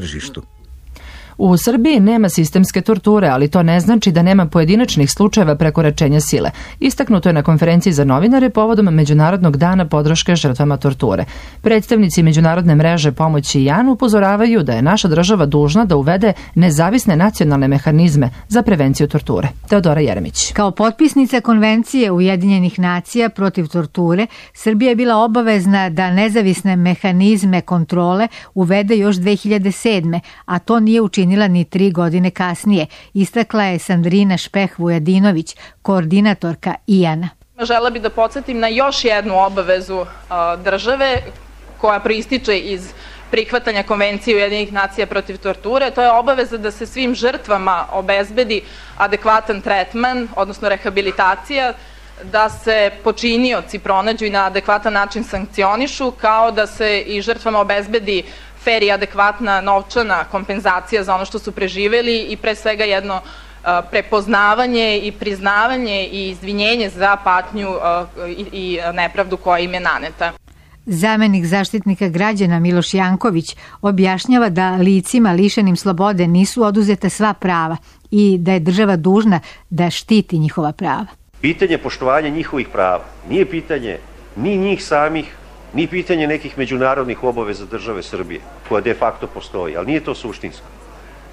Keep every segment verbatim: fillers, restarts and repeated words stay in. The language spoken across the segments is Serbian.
tržištu. U Srbiji nema sistemske torture, ali to ne znači da nema pojedinačnih slučajeva prekoračenja sile. Istaknuto je na konferenciji za novinare povodom Međunarodnog dana podrške žrtvama torture. Predstavnici Međunarodne mreže pomoći Jan upozoravaju da je naša država dužna da uvede nezavisne nacionalne mehanizme za prevenciju torture. Teodora Jeremić. Kao potpisnica Konvencije Ujedinjenih nacija protiv torture, Srbija je bila obavezna da nezavisne mehanizme kontrole uvede još dve hiljade sedme, a to nije učinila ni tri godine kasnije, istakla je Sandrina Špeh-Vujadinović, koordinatorka I A N-a. Žela bih da podsjetim na još jednu obavezu države koja proističe iz prihvatanja Konvencije Ujedinjenih nacija protiv torture. To je obaveza da se svim žrtvama obezbedi adekvatan tretman, odnosno rehabilitacija, da se počinioci pronađu i na adekvatan način sankcionišu, kao da se i žrtvama obezbedi fer i adekvatna novčana kompenzacija za ono što su preživeli i pre svega jedno prepoznavanje i priznavanje i izvinjenje za patnju i nepravdu koja im je naneta. Zamenik zaštitnika građana Miloš Janković objašnjava da licima lišenim slobode nisu oduzeta sva prava i da je država dužna da štiti njihova prava. Pitanje poštovanja njihovih prava nije pitanje ni njih samih, ni pitanje nekih međunarodnih obaveza države Srbije, koja de facto postoji, ali nije to suštinsko.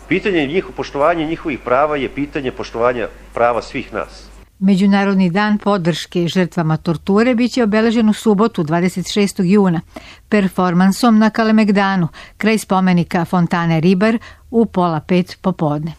Pitanje njih, poštovanja njihovih prava je pitanje poštovanja prava svih nas. Međunarodni dan podrške žrtvama torture biće obeležen u subotu dvadeset šestog juna performansom na Kalemegdanu, kraj spomenika Fontane Ribar u pola pet popodne.